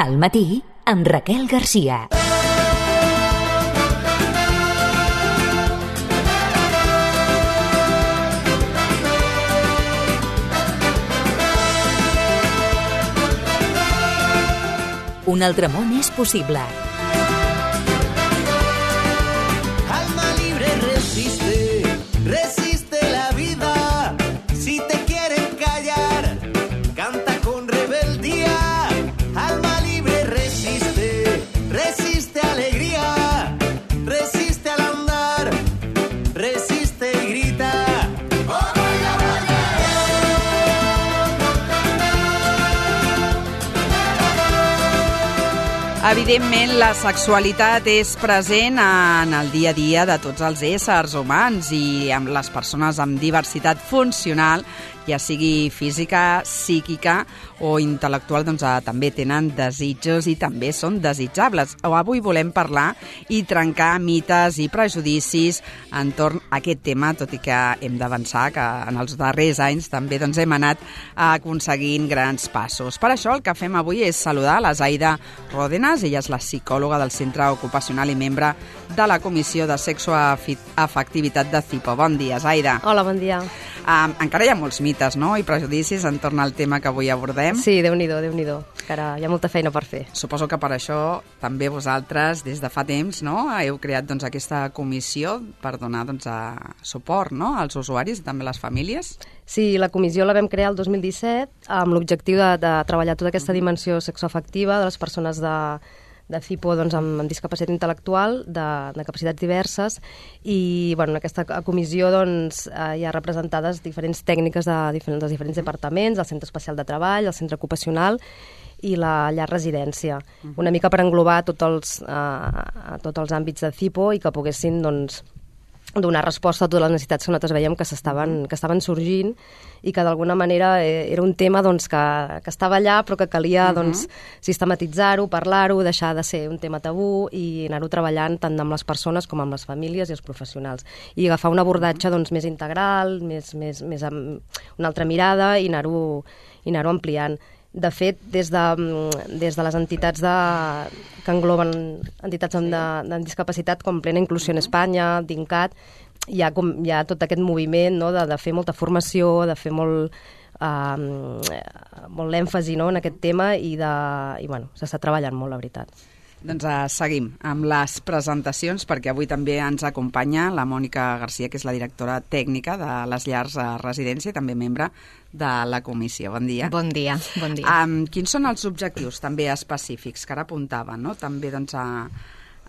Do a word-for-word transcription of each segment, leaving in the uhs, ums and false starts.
Al matí, amb Raquel Garcia. Un altre món és possible. Alma libre resiste, resiste la vida. Si te quieren callar, canta con rebeldía. Alma libre resiste, resiste alegría. Resiste al andar, resiste y grita. Evidentment, la sexualitat és present en el dia a dia de tots els éssers humans i amb les persones amb diversitat funcional, ja sigui física, psíquica o intel·lectual, doncs també tenen desitjos i també són desitjables. Avui volem parlar i trencar mites i prejudicis entorn a aquest tema, tot i que hem d'avançar que en els darrers anys també doncs, hem anat aconseguint grans passos. Per això el que fem avui és saludar la Zaida Ródenas. Ella és la psicòloga del Centre Ocupacional i membre de la Comissió de Sexoafectivitat de CIPO. Bon dia, Zaida. Hola, bon dia. Um, encara hi ha molts mites, no?, i prejudicis entorn al tema que avui abordem. Sí, Déu-n'hi-do, Déu-n'hi-do. Encara hi ha molta feina per fer. Suposo que per això també vosaltres, des de fa temps, no?, heu creat doncs, aquesta comissió per donar doncs, a suport, no?, als usuaris i també a les famílies. Sí, la comissió la vam crear el dos mil disset amb l'objectiu de, de treballar tota aquesta dimensió sexoafectiva de les persones de, de CIPO doncs, amb, amb discapacitat intel·lectual, de, de capacitats diverses, i bueno, en aquesta comissió doncs, eh, hi ha representades diferents tècniques de diferents, dels diferents departaments, el Centre Especial de Treball, el Centre Ocupacional i la llar residència, una mica per englobar tots els, eh, tots els àmbits de CIPO i que poguessin doncs, donar resposta a totes les necessitats que nosaltres veiem que s'estaven que estaven sorgint i que d'alguna manera era un tema doncs, que, que estava allà però que calia doncs, sistematitzar-ho, parlar-ho, deixar de ser un tema tabú i anar-ho treballant tant amb les persones com amb les famílies i els professionals. I agafar un abordatge doncs, més integral, més, més, més amb una altra mirada i anar-ho i anar-ho ampliant. De fet, des de, des de les entitats de, que engloben entitats amb, de, de discapacitat com Plena Inclusió en Espanya, DINCAT, hi ha, com, hi ha tot aquest moviment no, de, de fer molta formació, de fer molt, uh, molt èmfasi no, en aquest tema i, de, i bueno, s'està treballant molt, la veritat. Doncs uh, seguim amb les presentacions perquè avui també ens acompanya la Mònica Garcia, que és la directora tècnica de les llars a residència i també membre de la comissió. Bon dia. Bon dia, bon dia. Um, quins són els objectius també específics que ara apuntava, no? També doncs a,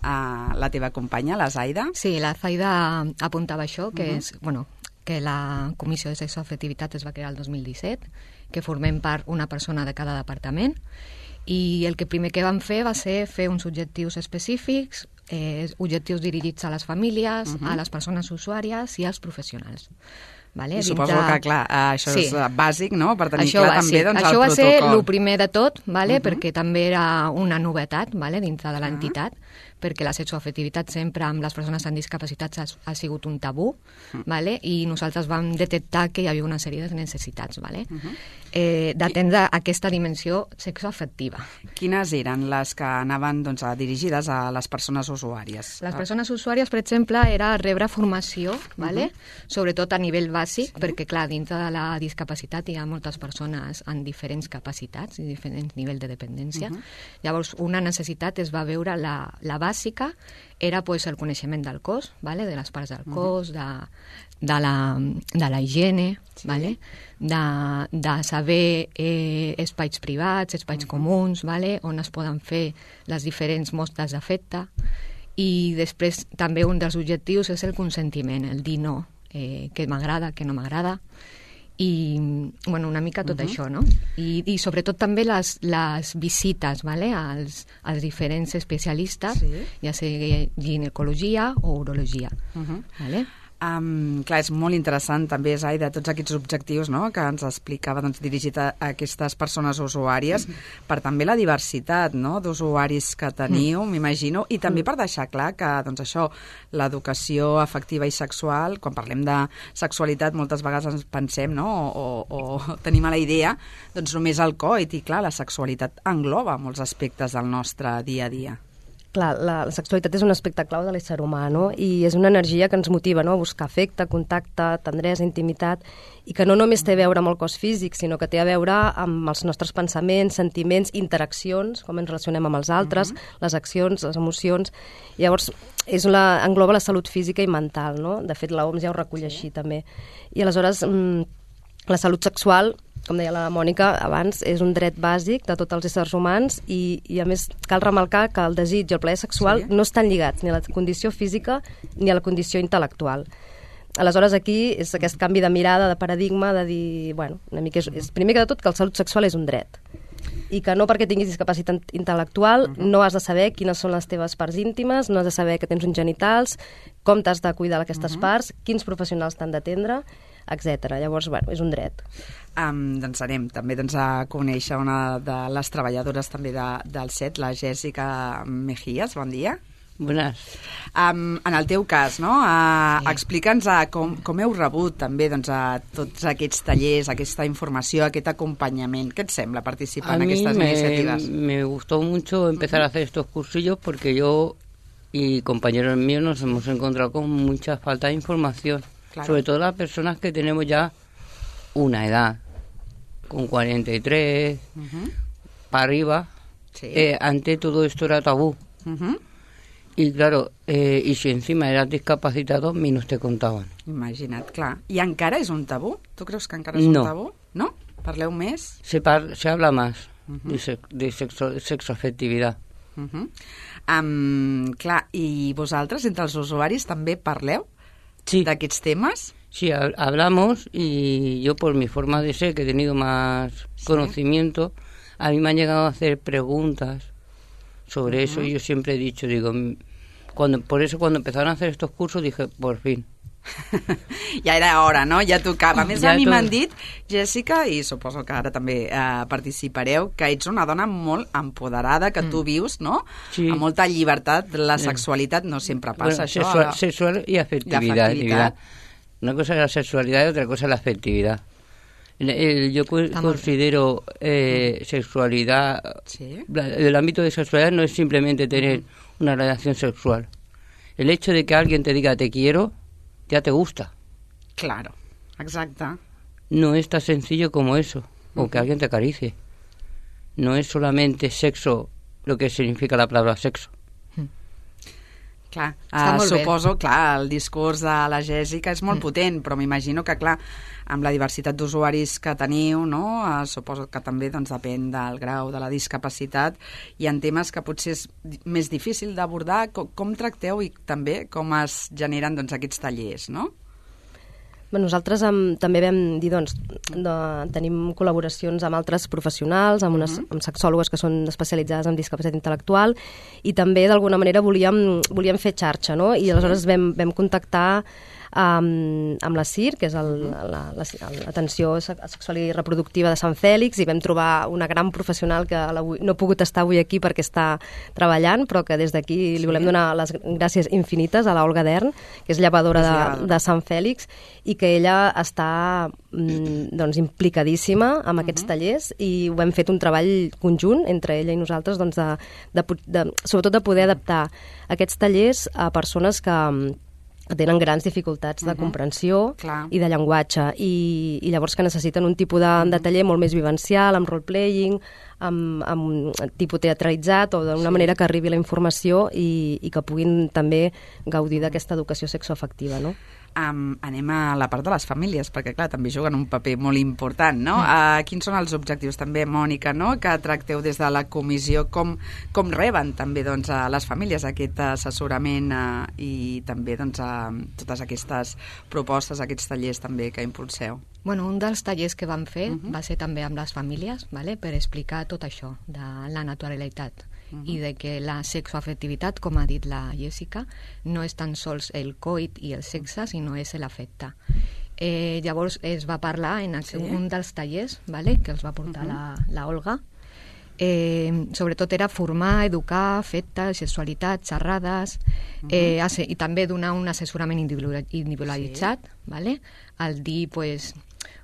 a la teva companya, la Zaida? Sí, la Zaida apuntava això, que uh-huh. és, bueno, que la Comissió de Sexoafectivitat es va crear el dos mil disset, que formem part una persona de cada departament, i el que primer que vam fer va ser fer uns objectius específics, eh, objectius dirigits a les famílies, uh-huh. a les persones usuàries i als professionals. Vale? Suposo Dintre... que, clar, això sí. és bàsic, no?, per tenir això clar va, també sí. doncs, això el va protocol. Ser el primer de tot, vale? Uh-huh. Perquè també era una novetat vale? Dintre de l'entitat, uh-huh. perquè la sexoafectivitat sempre amb les persones amb discapacitats ha, ha sigut un tabú, uh-huh. vale? I nosaltres vam detectar que hi havia una sèrie de necessitats vale? uh-huh. eh, d'atendre aquesta dimensió sexoafectiva. Quines eren les que anaven doncs, dirigides a les persones usuàries? Les persones usuàries, per exemple, era rebre formació, vale? uh-huh. sobretot a nivell bàsic, sí. perquè, clar, dintre de la discapacitat hi ha moltes persones amb diferents capacitats i diferents nivells de dependència. Uh-huh. Llavors, una necessitat es va veure, la, la bàsica era pues, el coneixement del cos, vale? De les parts del cos, uh-huh. de, de, la, de la higiene, sí. vale? de, de saber eh, espais privats, espais uh-huh. comuns, vale? On es poden fer les diferents mostres d'afecte. I després també un dels objectius és el consentiment, el dir no, eh, que m'agrada, que no m'agrada, i bueno, una mica tot uh-huh. això, no? I, i sobretot també les, les visites vale? als, als diferents especialistes, sí. ja sigui ginecologia o urologia. Uh-huh. Vale? Um, clar, és molt interessant també, Zai, de tots aquests objectius, no?, que ens explicava, doncs, dirigit a, a aquestes persones usuàries, mm. per també la diversitat, no?, d'usuaris que teniu, mm. m'imagino, i també mm. per deixar clar que, doncs, això, l'educació afectiva i sexual, quan parlem de sexualitat, moltes vegades ens pensem, no?, o, o, o tenim a la idea, doncs, només el coit, i clar, la sexualitat engloba molts aspectes del nostre dia a dia. Clar, la, la sexualitat és un aspecte clau de l'ésser humà, no? I és una energia que ens motiva, no?, a buscar afecte, contacte, tendresa, intimitat, i que no només té a veure amb el cos físic, sinó que té a veure amb els nostres pensaments, sentiments, interaccions, com ens relacionem amb els altres, uh-huh. les accions, les emocions. Llavors, és la, engloba la salut física i mental, no? De fet, l'O M S ja ho recull sí. així, també. I aleshores, mmm, la salut sexual, com deia la Mònica abans, és un dret bàsic de tots els éssers humans i, i a més cal remarcar que el desig i el plaer sexual sí. no estan lligats ni a la condició física ni a la condició intel·lectual. Aleshores aquí és aquest canvi de mirada, de paradigma, de dir, bueno, una mica és, és primer que de tot que la salut sexual és un dret i que no perquè tinguis discapacitat intel·lectual uh-huh. no has de saber quines són les teves parts íntimes, no has de saber que tens uns genitals, com t'has de cuidar d'aquestes uh-huh. parts, quins professionals t'han d'atendre, etcètera. Llavors, bueno, és un dret. Um, doncs anem també doncs, a conèixer una de les treballadores també de, del S E T, la Jèssica Mejías. Bon dia. Bones. Um, en el teu cas, no? Uh, sí. Explica'ns uh, com, com heu rebut també doncs, a tots aquests tallers, aquesta informació, aquest acompanyament. ¿Qué te sembla participar en estas me, iniciativas? Me gustó mucho empezar uh-huh. a hacer estos cursillos porque yo y compañeros míos nos hemos encontrado con mucha falta de información. Claro. Sobre todo las personas que tenemos ya una edad, con cuarenta y tres, uh-huh. para arriba, sí. eh, antes todo esto era tabú. Uh-huh. Y claro, eh, y si encima eras discapacitado, menos te contaven. Imagina't, clar. I encara és un tabú? Tu creus que encara és no. un tabú? No? Parleu més? Se, par se habla más uh-huh. de, se de sexo sexoafectivitat. Uh-huh. um, clar, i vosaltres, entre els usuaris, també parleu sí. d'aquests temes? Sí, hablamos y yo por mi forma de ser, que he tenido más ¿Sí? conocimiento, a mí me han llegado a hacer preguntas sobre uh-huh. eso y yo siempre he dicho, digo, cuando, por eso cuando empezaron a hacer estos cursos dije, por fin. Ja era hora, no? Ja tocava. A més, ja a mi tot... m'han dit, Jèssica, i suposo que ara també eh, participareu, que ets una dona molt empoderada, que mm. tu vius, no? Sí. Amb molta llibertat. La sexualitat no sempre passa, bueno, això. Sexual, la... sexual y afectividad. afectividad. Una cosa es la sexualidad y otra cosa es la afectividad. El, el, yo cu considero eh, sexualidad, ¿Sí? la, el ámbito de sexualidad no es simplemente tener uh-huh. una relación sexual. El hecho de que alguien te diga te quiero, ya te gusta. Claro, exacte. No es tan sencillo como eso, o uh-huh. que alguien te acaricie. No es solamente sexo lo que significa la palabra sexo. Clar, uh, suposo, bé. clar, el discurs de la Jèssica és molt mm. potent, però m'imagino que, clar, amb la diversitat d'usuaris que teniu, no? Uh, suposo que també doncs, depèn del grau de la discapacitat, hi ha temes que potser és més difícil d'abordar. Com, com tracteu i també com es generen doncs, aquests tallers, no? Nosaltres um, també vam dir, doncs, de, tenim col·laboracions amb altres professionals, amb, unes, amb sexòlogues que són especialitzades en discapacitat intel·lectual, i també, d'alguna manera, volíem, volíem fer xarxa, no? I aleshores vam, vam contactar um, amb la C I R, que és l'Atenció Sexual i Reproductiva de Sant Fèlix, i vam trobar una gran professional que no ha pogut estar avui aquí perquè està treballant, però que des d'aquí li volem donar les gràcies infinites a l'Olga Dern, que és llevadora de, de Sant Fèlix, i que ella està mm, doncs, implicadíssima amb uh-huh. aquests tallers, i ho hem fet un treball conjunt entre ella i nosaltres, doncs, de, de, de, sobretot de poder adaptar aquests tallers a persones que tenen grans dificultats de uh-huh. comprensió Clar. i de llenguatge, i, i llavors que necessiten un tipus de, uh-huh. de taller molt més vivencial, amb role-playing, amb, amb tipus teatralitzat, o d'una sí. manera que arribi la informació i, i que puguin també gaudir d'aquesta educació sexoafectiva, no? Um, anem a la part de les famílies, perquè, clar, també juguen un paper molt important, no? Mm. Uh, quins són els objectius, també, Mònica, no?, que tracteu des de la comissió? Com, com reben, també, doncs, a les famílies aquest assessorament uh, i també, doncs, uh, totes aquestes propostes, aquests tallers, també, que impulseu? Bueno, un dels tallers que vam fer uh-huh. va ser també amb les famílies, vale? Per explicar tot això de la naturalitat uh-huh. i de que la sexoafectivitat, com ha dit la Jessica, no és tan sols el coit i el sexe, sinó és l'afecte. Eh, llavors es va parlar en sí. un dels tallers, vale, que els va portar uh-huh. la, la Olga. Eh, sobretot era formar, educar, afecte, sexualitat, xerrades, uh-huh. eh, asse- i també donar un assessorament individualitzat, sí. vale? Al dir, pues,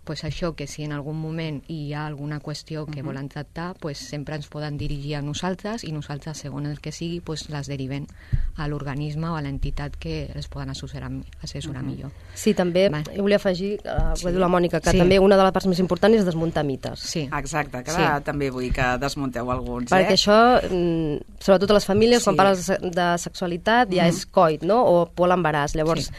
pues això, que si en algun moment hi ha alguna qüestió que uh-huh. volen tractar, pues sempre ens poden dirigir a nosaltres i nosaltres, segons el que sigui, pues les deriven a l'organisme o a l'entitat que els poden assessorar, assessorar uh-huh. millor. Sí, també Va. jo volia afegir, uh, Sí. ho diu la Mònica, que Sí. també una de les parts més importants és desmuntar mites. Sí. Exacte, que Sí. ara també vull que desmunteu alguns, Perquè eh? això, mm, sobretot a les famílies, Sí. quan parles de de sexualitat, ja Mhm. és coit, no?, o por a l'embaràs. Llavors, Sí.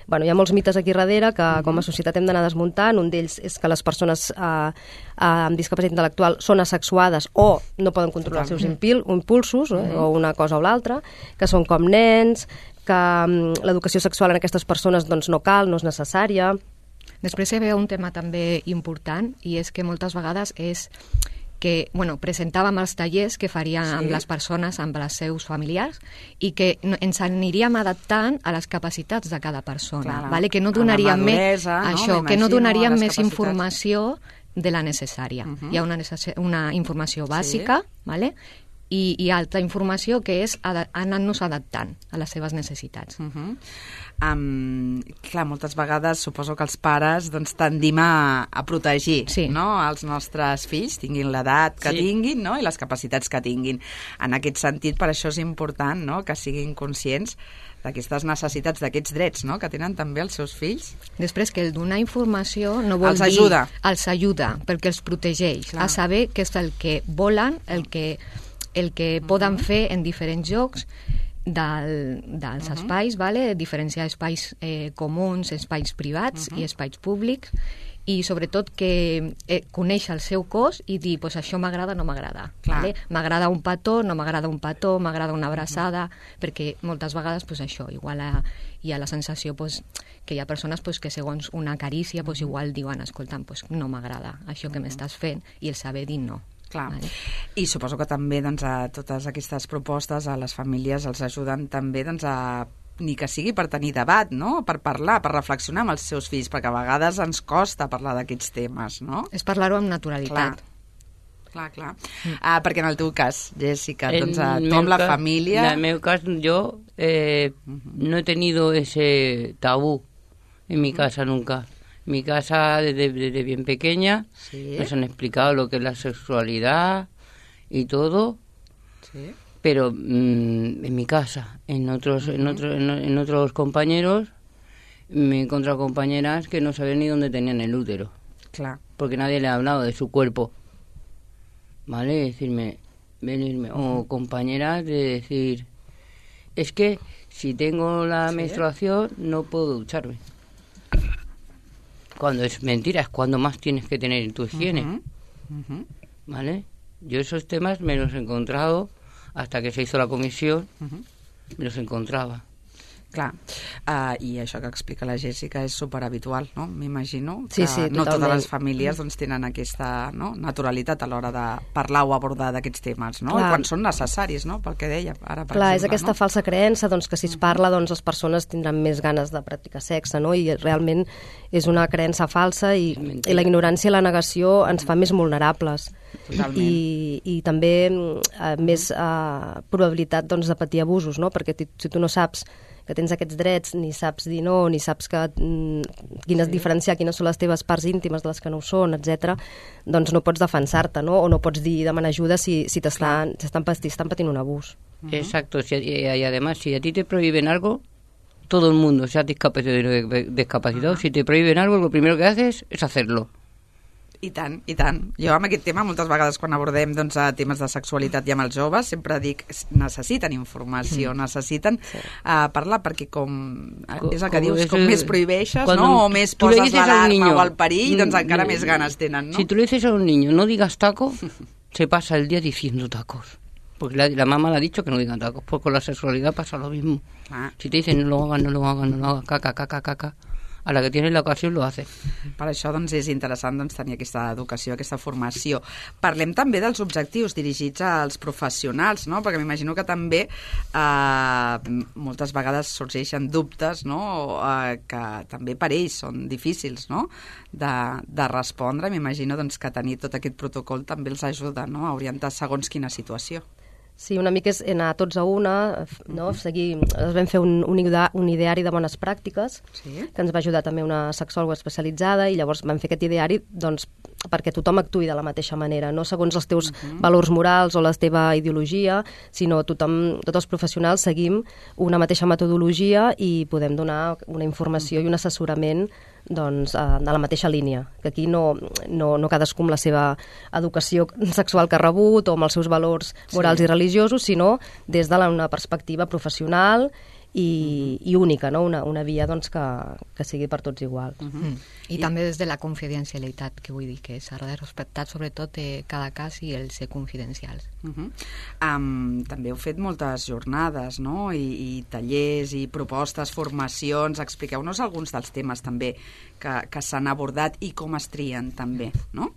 bueno, hi ha molts mites aquí darrere que uh-huh. com a societat hem d'anar desmuntant. Un d'ells és que les persones eh, amb discapacitat intel·lectual són asexuades o no poden controlar els seus impil- impulsos, uh-huh. eh, o una cosa o l'altra, que són com nens, que um, l'educació sexual en aquestes persones doncs, no cal, no és necessària. Després hi havia un tema també important, i és que moltes vegades és que, bueno, presentàvem els tallers que faríem Sí. amb les persones, amb els seus familiars, i que no- ens aniríem adaptant a les capacitats de cada persona, Clar, vale? Que no a la donaríem més, maduresa, no? això, que M'imagino, no a donaríem les més capacitats. informació de la necessària. Uh-huh. Hi ha una, necess- una informació bàsica, sí. vale? I, i altra informació que és ada- anar-nos adaptant a les seves necessitats. Uh-huh. Um, clar, moltes vegades suposo que els pares doncs, tendim a, a protegir Sí. no? els nostres fills, tinguin l'edat que Sí. tinguin, no? I les capacitats que tinguin. En aquest sentit, per això és important, no?, que siguin conscients d'aquestes necessitats, d'aquests drets, no?, que tenen també els seus fills. Després, que el donar informació no vol Els dir... ajuda. Els ajuda, perquè els protegeix Clar. a saber què és el que volen, el que, el que uh-huh. poden fer en diferents jocs del, dels uh-huh. espais, vale? Diferenciar espais eh, comuns, espais privats uh-huh. i espais públics, i sobretot que eh, conèixer el seu cos i dir, pues això m'agrada, no m'agrada. Vale? M'agrada un petó, no m'agrada un petó, m'agrada una abraçada, uh-huh. perquè moltes vegades pues això, igual a, hi ha la sensació pues, que hi ha persones pues, que segons una carícia pues, igual diuen, escolta'm, pues, no m'agrada això que m'estàs fent, i el saber dir no. Clar. Vale. I suposo que també doncs, a totes aquestes propostes a les famílies els ajuden també doncs, a ni que sigui per tenir debat, no?, per parlar, per reflexionar amb els seus fills, perquè a vegades ens costa parlar d'aquests temes, no? És parlar-ho amb naturalitat. Clar, clar. clar. Mm. Ah, perquè en el teu cas, Jessica, doncs, a, En tu amb meu la cas- família... En mi caso, yo eh, no he tenido ese tabú en mi casa nunca. En mi casa, desde, desde bien pequeña, Sí. nos han explicado lo que es la sexualidad y todo, Sí. pero mm, en mi casa, en otros, en otros, en, en otros compañeros, me he encontrado compañeras que no sabían ni dónde tenían el útero, Clar. porque nadie le ha hablado de su cuerpo, ¿vale? Decirme, venirme, o compañeras de decir, es que si tengo la ¿Sí? menstruación no puedo ducharme. Cuando es mentira, es cuando más tienes que tener tu higiene, Uh-huh. Uh-huh. ¿vale? Yo esos temas me los he encontrado hasta que se hizo la comisión, Uh-huh. me los encontraba. Clar, uh, i això que explica la Jessica és superhabitual, no? M'imagino Sí, que sí, no totes totalment. les famílies doncs, tenen aquesta no? naturalitat a l'hora de parlar o abordar d'aquests temes, no? Clar. I quan són necessaris, no? Pel que deia ara, per Clar, és exemple. aquesta no? falsa creença doncs, que si es parla doncs, les persones tindran més ganes de practicar sexe, no? I realment és una creença falsa i, mentida. i la ignorància i la negació ens fa més vulnerables. Totalment. I, i també eh, més eh, probabilitat doncs, de patir abusos, no? Perquè ti- si tu no saps que tens aquests drets, ni saps dir no, ni saps que, mm, quines, sí. diferenciar quines són les teves parts íntimes de les que no ho són, etcètera, doncs no pots defensar-te, no? O no pots dir demanar ajuda si, si t'estan estan, estan patint un abús. Uh-huh. Exacto, si, y, y además si a ti te prohíben algo, todo el mundo, sea discapacitado o no discapacitado, uh-huh. si te prohíben algo, lo primero que haces es hacerlo. I tant, i tant. Jo amb aquest tema, moltes vegades quan abordem doncs, a temes de sexualitat i amb els joves, sempre dic, necessiten informació, mm. necessiten sí. uh, parlar, perquè com Co- és el que com dius, és com el- més prohibeixes, cuando no? O més tú le poses dices a un l'alarma niño, o el perill, doncs mm, encara mm, més ganes tenen, no? Si tú le dices a un niño, no digas taco, se pasa el día diciendo tacos. Porque la, la mamá le ha dicho que no digan tacos, pues con la sexualidad pasa lo mismo. Ah. Si te dicen no lo hagas, no lo hagas, no lo hagas, caca, caca, caca, a la que tienes la ocasión lo haces. Per això doncs, és interessant doncs, tenir aquesta educació, aquesta formació. Parlem també dels objectius dirigits als professionals, no? Perquè m'imagino que també eh, moltes vegades sorgeixen dubtes, no? eh, que també per ells són difícils, no? de, de respondre. M'imagino doncs, que tenir tot aquest protocol també els ajuda, no? A orientar segons quina situació. Sí, una mica és anar tots a una, no? Seguir, vam fer un, un, idea, un ideari de bones pràctiques, sí, que ens va ajudar també una sexòloga especialitzada, i llavors vam fer aquest ideari doncs, perquè tothom actuï de la mateixa manera, no segons els teus uh-huh. valors morals o la teva ideologia, sinó tothom, tots els professionals seguim una mateixa metodologia i podem donar una informació uh-huh. i un assessorament doncs, de la mateixa línia, que aquí no, no, no cadascú amb la seva educació sexual que ha rebut o amb els seus valors morals sí. i religiosos, sinó des de la, una perspectiva professional i, i única, no? una, una via doncs, que, que sigui per tots igual. Uh -huh. mm. I, I també des de la confidencialitat, que vull dir que s'ha de respectar sobretot eh, cada cas i el ser confidencials. Uh -huh. um, també heu fet moltes jornades, no? I, i tallers i propostes, formacions. Expliqueu-nos alguns dels temes també que, que s'han abordat i com es trien també, no?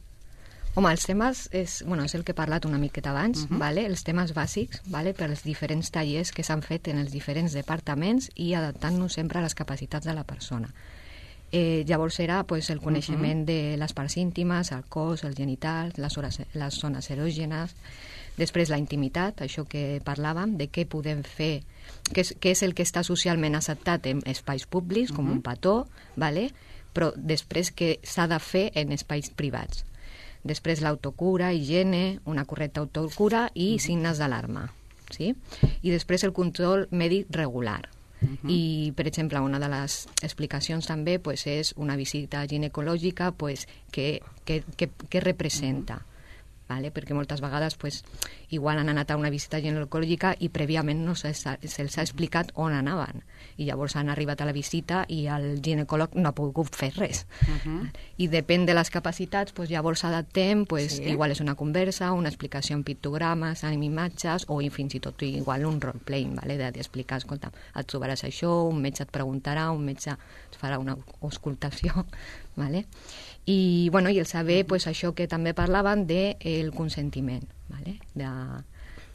Home, els temes, és, bueno, és el que he parlat una miqueta abans, uh-huh. vale? Els temes bàsics, vale? Per als diferents tallers que s'han fet en els diferents departaments i adaptant-nos sempre a les capacitats de la persona. Eh, llavors era pues, el coneixement uh-huh. de les parts íntimes, el cos, els genitals, les, hores, les zones erògenes, després la intimitat, això que parlàvem, de què podem fer, què és, què és el que està socialment acceptat en espais públics, uh-huh. com un petó, vale? Però després què s'ha de fer en espais privats. Després l'autocura, higiene, una correcta autocura i uh-huh. signes d'alarma. ¿Sí? I després el control mèdic regular. Uh-huh. I, per exemple, una de les explicacions també pues, és una visita ginecològica pues, que, que, que, que representa. Uh-huh. Vale? Perquè moltes vegades pues, igual han anat a una visita ginecològica i prèviament no se'ls ha, se ha explicat on anaven. I llavors han arribat a la visita i el ginecòleg no ha pogut fer res. Uh-huh. I depèn de les capacitats, pues, llavors adaptem, pues, sí. igual és una conversa, una explicació en pictogrames, en imatges, o fins i tot igual un role-playing, vale? d'explicar, escolta, et trobaràs això, un metge et preguntarà, un metge et farà una auscultació, vale? I, bueno, i el saber, pues, això que també parlaven del de consentiment, vale? de,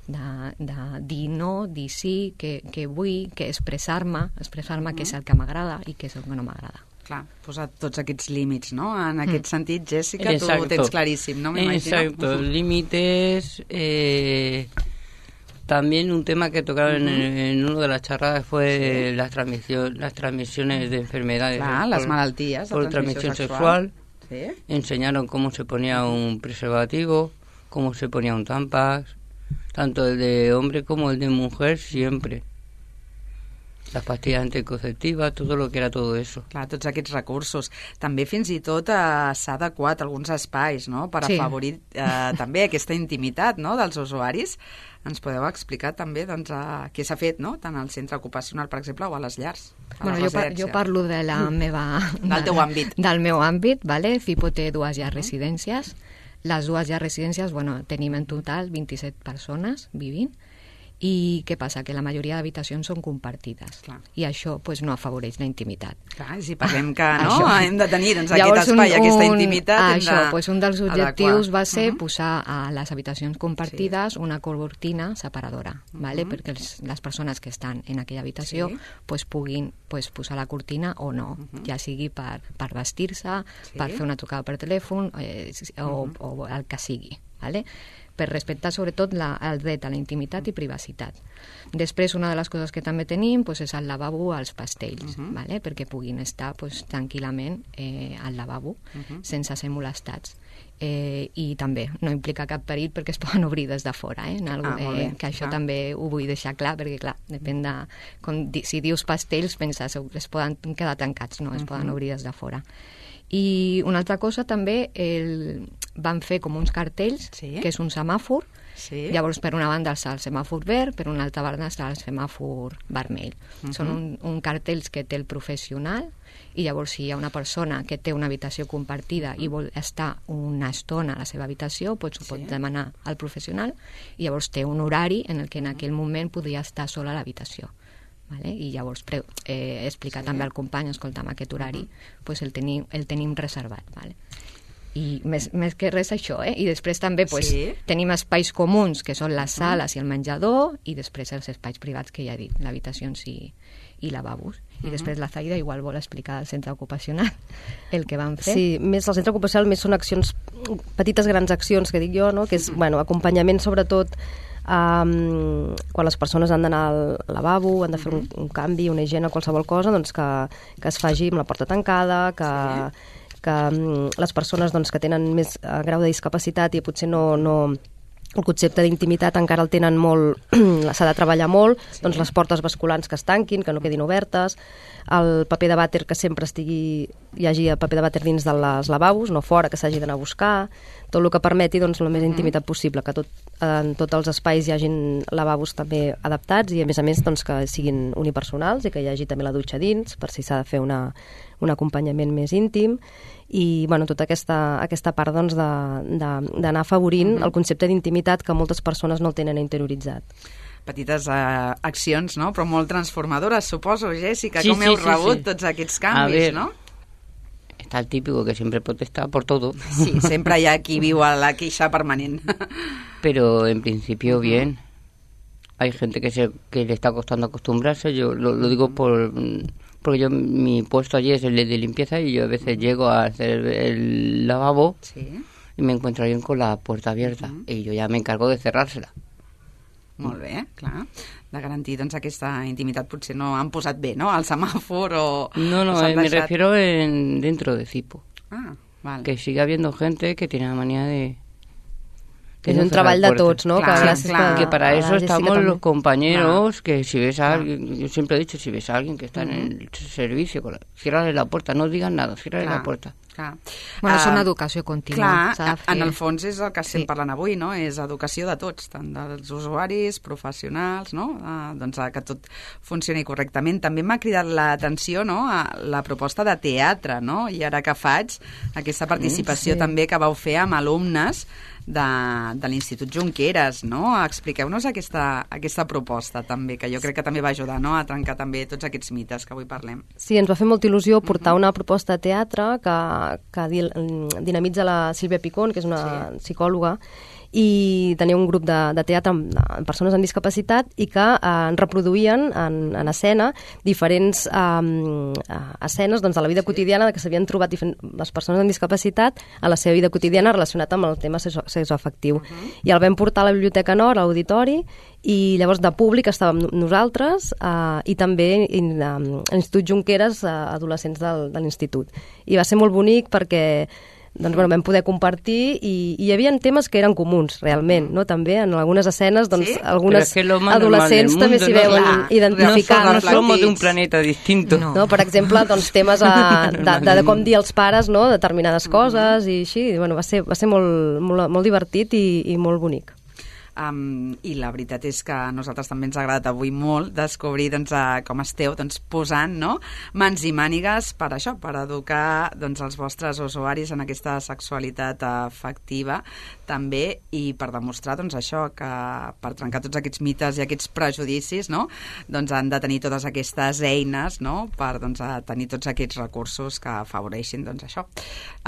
de, de dir no, dir sí, que, que vull, que expressar-me, expressar-me uh-huh. què és el que m'agrada i què és el que no m'agrada. Clar, posar tots aquests límits, ¿no? En aquest mm. sentit, Jessica, Exacto. tu ho tens claríssim, ¿no? M'imagino. Exacto, límites... Eh... También un tema que tocaron uh-huh. en, en una de las charlas fue sí. las, transmisión, las transmisiones de enfermedades. Clar, las malalties de por transmisión sexual. sexual. ¿Sí? Enseñaron cómo se ponía un preservativo, cómo se ponía un tampax, tanto el de hombre como el de mujer, siempre. Les pastilles anticonceptives, tot el que era tot això. Clar, tots aquests recursos. També fins i tot eh, s'ha adequat alguns espais, no?, per sí. afavorir eh, també aquesta intimitat, no?, dels usuaris. Ens podeu explicar també doncs, eh, què s'ha fet, no?, tant al centre ocupacional, per exemple, o a les llars. A bueno, jo, par jo parlo de la meva... Del teu àmbit. Del meu àmbit, vale? FIPO té dues llars residències. Les dues llars residències, bueno, tenim en total vint-i-set persones vivint. I què passa? Que la majoria d'habitacions són compartides. Clar. I això pues, no afavoreix la intimitat. Clar, si parlem que no, hem de tenir doncs, aquest Llavors, espai, un, aquesta intimitat... Un, això, de pues, un dels objectius adequar. va ser uh -huh. posar a les habitacions compartides sí. una cortina separadora, uh -huh. ¿vale? perquè els, les persones que estan en aquella habitació sí. pues, puguin pues, posar la cortina o no, uh -huh. ja sigui per, per vestir-se, sí. per fer una trucada per telèfon eh, o, uh -huh. o el que sigui, ¿vale? Per respectar sobretot la, el dret a la intimitat i privacitat. Després, una de les coses que també tenim pues, és el lavabo als pastells, uh -huh. ¿vale? perquè puguin estar pues, tranquil·lament eh, al lavabo, uh -huh. sense ser molestats. Eh, I també no implica cap perill perquè es poden obrir des de fora, eh? Algo, ah, eh, que això ah. també ho vull deixar clar, perquè clar, depèn de... Com, si dius pastells, penses, es poden quedar tancats, no? Es uh -huh. poden obrir des de fora. I una altra cosa també, el, van fer com uns cartells, sí. que és un semàfor, sí. llavors per una banda està el semàfor verd, per una altra banda està el semàfor vermell. Uh -huh. Són un, un cartells que té el professional, i llavors si hi ha una persona que té una habitació compartida i vol estar una estona a la seva habitació, doncs ho pot sí. demanar al professional, i llavors té un horari en el que en aquell moment podria estar sola a l'habitació. Vale? I llavors pre eh, explicar sí. també al company, escolta'm, aquest horari uh-huh. pues el, tenim, el tenim reservat. Vale? I més, més que res això, eh? I després també pues, sí. tenim espais comuns, que són les sales uh-huh. i el menjador, i després els espais privats que ja he dit, l'habitacions i, i lavabos. I uh-huh. després la Zaida igual vol explicar al centre ocupacional el que van fer. Sí, més el centre ocupacional més són accions, petites grans accions que dic jo, no? Que és, uh-huh. bueno, acompanyament sobretot Um, quan les persones han d'anar al lavabo, han de fer un, un canvi, una higiene, qualsevol cosa, doncs que, que es faci amb la porta tancada, que, sí. que um, les persones doncs, que tenen més uh, grau de discapacitat i potser no... no el concepte d'intimitat encara el tenen molt, s'ha de treballar molt, sí. doncs les portes basculants que es tanquin, que no quedin obertes, el paper de vàter que sempre estigui, hi hagi el paper de vàter dins de les lavabos, no fora, que s'hagi d'anar a buscar, tot el que permeti doncs, la més intimitat possible, que tot, en tots els espais hi hagin lavabos també adaptats i a més a més doncs, que siguin unipersonals i que hi hagi també la dutxa dins, per si s'ha de fer una, un acompanyament més íntim i bueno, tota aquesta, aquesta part doncs, d'anar afavorint mm-hmm. el concepte d'intimitat que moltes persones no el tenen interioritzat. Petites uh, accions, no? Però molt transformadores, suposo, Jessica. Sí, Com sí, heu sí, rebut sí. tots aquests canvis, ver, no? Está el típico que siempre protesta por todo. Sí, sempre hi ha qui viu a la queixa permanent. Pero en principio bien. Hay gente que se que le está costando acostumbrarse. Yo lo, lo digo por porque yo mi puesto allí es el de limpieza y yo a veces llego a hacer el lavabo sí. y me encuentro alguien con la puerta abierta uh-huh. y yo ya me encargo de cerrársela. Molt bé, clar. De garantir doncs, aquesta intimitat potser no han posat bé, no? El semàfor o... No, no, o me deixat... refiero en, dentro de Cipo. Ah, vale. Que sigue habiendo gente que tiene la manía de... És un treball de tots, ¿no? Clar, que, gràcies clar. Que para eso estamos los compañeros, clar. que si ves a alguien, yo siempre he dicho, si ves a alguien que está uh-huh. en el servicio, con la, ciérrale la puerta, no digan nada, ciérrale la puerta. Clar. Bueno, és uh, una educació contínua. Clar, en el fons és el que estem sí. parlant avui, no? És educació de tots, tant dels usuaris, professionals, no? Uh, doncs uh, que tot funcioni correctament. També m'ha cridat l'atenció, no?, a la proposta de teatre, no? I ara que faig aquesta participació sí. també que vau fer amb alumnes de, de l'Institut Junqueras, no? Expliqueu-nos aquesta, aquesta proposta també, que jo crec que també va ajudar, no?, a trencar també tots aquests mites que avui parlem. Sí, ens va fer molta il·lusió portar uh-huh. una proposta de teatre que, que dinamitza la Sílvia Picón, que és una sí. psicòloga, i tenia un grup de, de teatre amb, amb persones amb discapacitat i que eh, reproduïen en, en escena diferents eh, escenes doncs, de la vida quotidiana que s'havien trobat les persones amb discapacitat a la seva vida quotidiana relacionat amb el tema sexoafectiu. Uh-huh. I el vam portar a la Biblioteca Nord, a l'auditori, i llavors de públic estàvem nosaltres eh, i també in, eh, l'Institut Junqueras, eh, adolescents del, de l'institut. I va ser molt bonic perquè doncs, bueno, vam poder compartir i, i hi havia temes que eren comuns, realment, no? També en algunes escenes, doncs, ¿sí? algunes es que adolescents també s'hi veuen no, identificats. No, no somos de un planeta distinto. No, no per exemple, doncs, temes a, de, de, de com dir als pares, no?, determinades coses i així, i, bueno, va ser, va ser molt, molt, molt divertit i, i molt bonic. Um, i la veritat és que a nosaltres també ens ha agradat avui molt descobrir doncs, uh, com esteu doncs, posant, no?, mans i mànigues per això, per educar doncs, els vostres usuaris en aquesta sexualitat afectiva també, i per demostrar doncs, això, que per trencar tots aquests mites i aquests prejudicis, no?, doncs han de tenir totes aquestes eines, no?, per doncs, a tenir tots aquests recursos que afavoreixin doncs, això,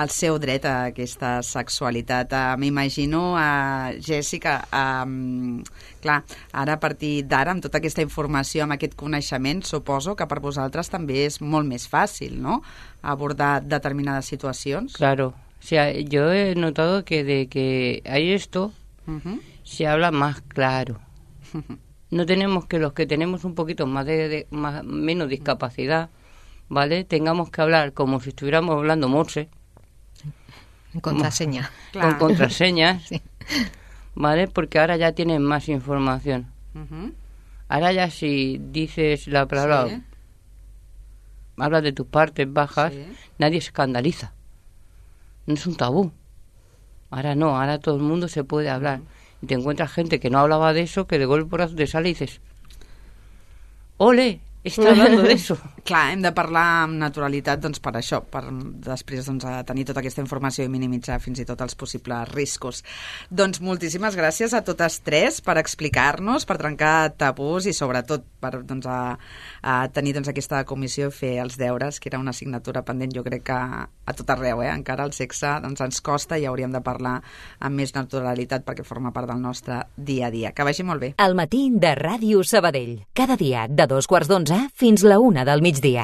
el seu dret a aquesta sexualitat. Uh, M'imagino, uh, Jessica, uh, Um, clar, ara a partir d'ara amb tota aquesta informació, amb aquest coneixement, suposo que per vosaltres també és molt més fàcil, ¿no?, abordar determinades situacions. Claro, o sea, yo he notado que de que hay esto uh-huh. se habla más claro. No tenemos que los que tenemos un poquito más de, de más, menos discapacidad, ¿vale?, tengamos que hablar como si estuviéramos hablando morse. En contraseña. Con claro. contraseñas. Sí. ¿Vale? Porque ahora ya tienen más información. Uh-huh. Ahora ya si dices la palabra, sí. hablas de tus partes bajas, sí. nadie se escandaliza. No es un tabú. Ahora no, ahora todo el mundo se puede hablar. Uh-huh. Y te encuentras gente que no hablaba de eso, que de golpe por te sale y dices, ¡ole! está hablando de eso. Clar, hem de parlar amb naturalitat doncs, per això, per després doncs, a tenir tota aquesta informació i minimitzar fins i tot els possibles riscos. Doncs moltíssimes gràcies a totes tres per explicar-nos, per trencar tabús i sobretot per doncs, a, a tenir doncs, aquesta comissió i fer els deures, que era una assignatura pendent, jo crec que a tot arreu, eh? Encara el sexe doncs, ens costa i hauríem de parlar amb més naturalitat perquè forma part del nostre dia a dia. Que vagi molt bé. El matí de Ràdio Sabadell. Cada dia de dos quarts d'onze fins la una del migdia.